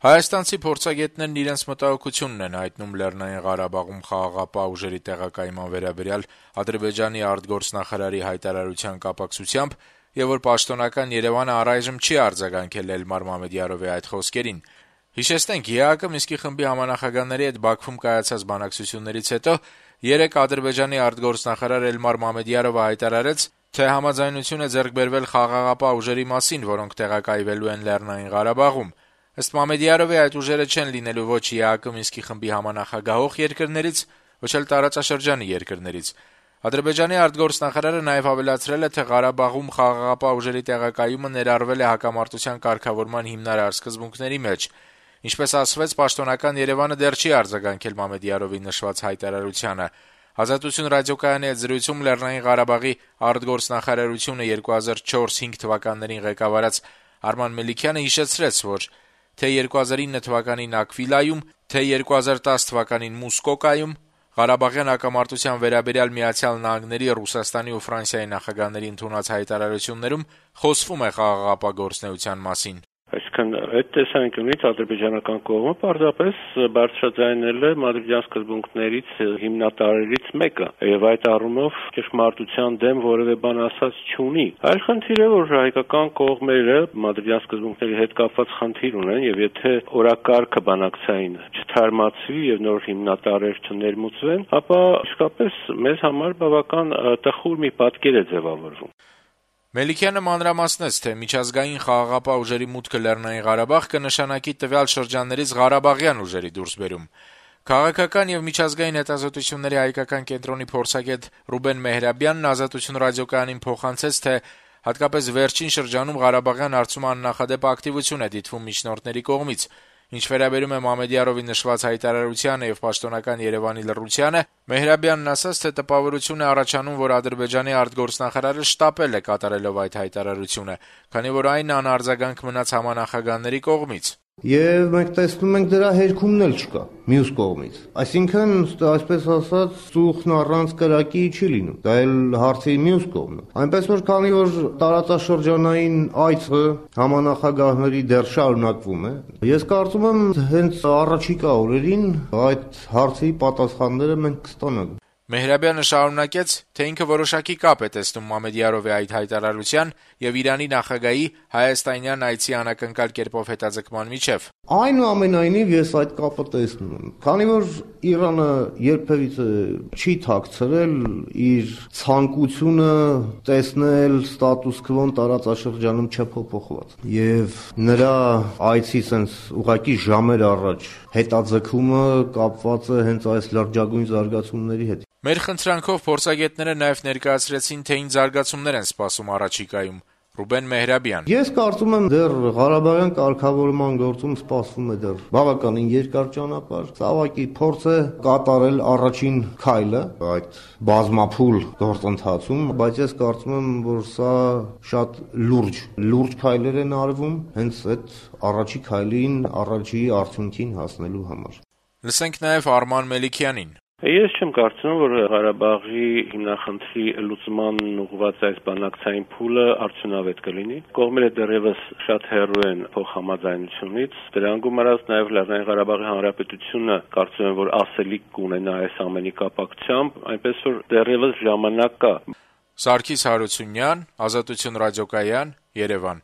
Հայաստանցի փորձագետներն իրենց մտահոգությունն են հայտնում Լեռնային Ղարաբաղում խաղաղապահ ուժերի տեղակայման վերաբերյալ Ադրբեջանի արտգործնախարարի հայտարարության կապակցությամբ եւ որ պաշտոնական Երեւանը առայժմ չի արձագանքել Էլմար Մամեդյարովի այդ խոսքերին։ Հիշեցնենք, ԵԱՀԿ Մինսկի խմբի համանախագահների հետ Բաքվում կայացած բանակցություններից հետո երեկ Ադրբեջանի արտգործնախարար Էլմար Մամեդյարովը հայտարարեց, թե համաձայնություն է ձեռք բերվել խաղաղապահ ուժերի մասին, որոնք տեղակայվելու են Լեռնային Ղարաբաղում։ Ըստ Մամեդյարովի այդ ուժերը չեն լինելու ոչ ԵԱՀԿ Մինսկի խմբի համանախագահող երկրներից, ոչ էլ տարածաշրջանի երկրներից։ Ադրբեջանի արտգործնախարարը նաև ավելացրել է, թե Ղարաբաղում խաղաղապահ ուժերի տեղակայումը ներառվել է հակամարտության կարգավորման հիմնարար սկզբունքների մեջ։ Ինչպես ասվեց, պաշտոնական Երևանը դեռ չի արձագանքել Մամեդյարովի նշված հայտարարությանը։ Ազատություն ռադիոկայանի հետ զրույցում Լեռնային Ղարաբաղի արտգործնախարարությունը 2004-5 թվականներին ղեկավարած Արման Մելիքյանը հիշեցրեց, որ թե 2009 թվականին Ակվիլայում, թե 2010 թվականին Մուսկոկայում Ղարաբաղյան հակամարտության վերաբերյալ Միացյալ Նահանգների, Ռուսաստանի ու Ֆրանսիայի նախագահների ընդունած հայտարարություններում խոսվում է խաղաղապահ գործունեության մասին։ Այսինքն այդ տեսանկյունից ադրբեջանական կողմը պարզապես բարձրաձայնել է մադրիդյան սկզբունքներից հիմնատարրերից մեկը եւ այդ առումով ճշմարտության դեմ որևէ բան ասած չունի։ Այլ խնդիրը, որ հայկական կողմերը մադրիդյան սկզբունքների հետ կապված խնդիր ունեն եւ եթե օրակարգը բանակցային չթարմացվի եւ նոր հիմնատարրեր չներմուծվեն, ապա իսկապես մեզ համար բավական տխուր մի պատկեր է ձևավորվում։ Մելիքյանը մանրամասնեց, թե միջազգային խաղաղապահ ուժերի մուտքը Լեռնային Ղարաբաղ կնշանակի տվյալ շրջաններից ղարաբաղյան ուժերի դուրսբերում։ Քաղաքական եւ միջազգային հետազոտությունների հայկական կենտրոնի փորձագետ Ռուբեն Մեհրաբյանն Ազատություն ռադիոկայանին փոխանցեց, թե հատկապես վերջին շրջանում Ղարաբաղյան հարցում աննախադեպ ակտիվություն է դիտվում միջնորդների կողմից։ Ինչ վերաբերում է Մամեդյարովի նշված հայտարարությանը եւ պաշտոնական Երևանի լռությանը, Մեհրաբյանն ասաց, թե տպավորություն է առաջանում, որ Ադրբեջանի արտգործնախարարը շտապել է կատարելով այդ հայտարարությունը, քանի որ այն անարձագանք մնաց համանախագահների կողմից։ Եվ մենք տեսնում ենք դրա հերքումն էլ չկա մյուս կողմից։ Այսինքն, այսպես ասած, ծուխն առանց կրակի չի լինում։ Դա էլ հարցի մյուս կողմն է։ Այնպես որ քանի որ տարածաշրջանային այցը համանախագահների դեռ շարունակվում է, ես կարծում եմ հենց առաջիկա օրերին այդ հարցի պատասխանները մենք կստանանք։ Մեհրաբյանը շարունակեց, թե ինքը որոշակի կապ է տեսնում Մամեդյարովի այդ հայտարարության եւ Իրանի նախագահի հայաստանյան այցի անակնկալ կերպով հետաձգման միջև։ Այնուամենայնիվ ես այդ կապը տեսնում եմ, քանի որ Իրանը երբևիցե չի թաքցրել իր ցանկությունը տեսնել ստատուս քվոն տարածաշրջանում չփոփոխված։ Եվ նրա այցի sense ուղղակի ժամեր առաջ հետաձգումը կապված է հենց այս լրջագույն զարգացումների հետ։ Մեր խնդրանքով փորձագետները նաև ներկայացրեցին, թե ինչ զարգացումներ են սպասում առաջիկայում։ Ռուբեն Մեհրաբյան. Ես կարծում եմ դեռ Ղարաբաղյան կարգավորման գործում սպասվում է դեռ բավականին երկար ճանապարհ։ Ցավոք փորձ է կատարել առաջին քայլը այդ բազմափուլ գործընթացում, բայց ես կարծում եմ, որ սա շատ լուրջ քայլեր են արվում հենց այդ առաջի քայլին, առաջի արդյունքին հասնելու համար։ Լսենք նաև Արման Մելիքյանին. Ես չեմ կարծում, որ Ղարաբաղի հիմնախնդրի լուծման ուղղված այս բանակցային փուլը արդյունավետ կլինի։ Կողմերը դեռևս շատ հեռու են փոխհամաձայնությունից։ Դրան գումարած նաև Լեռնային Ղարաբաղի Հանրապետությունը կարծում եմ, որ ասելիք կունենա այս ամենի կապակցությամբ, այնպես որ դեռևս ժամանակ կա։ Սարգիս Հարությունյան, Ազատություն ռադիոկայան, Երևան։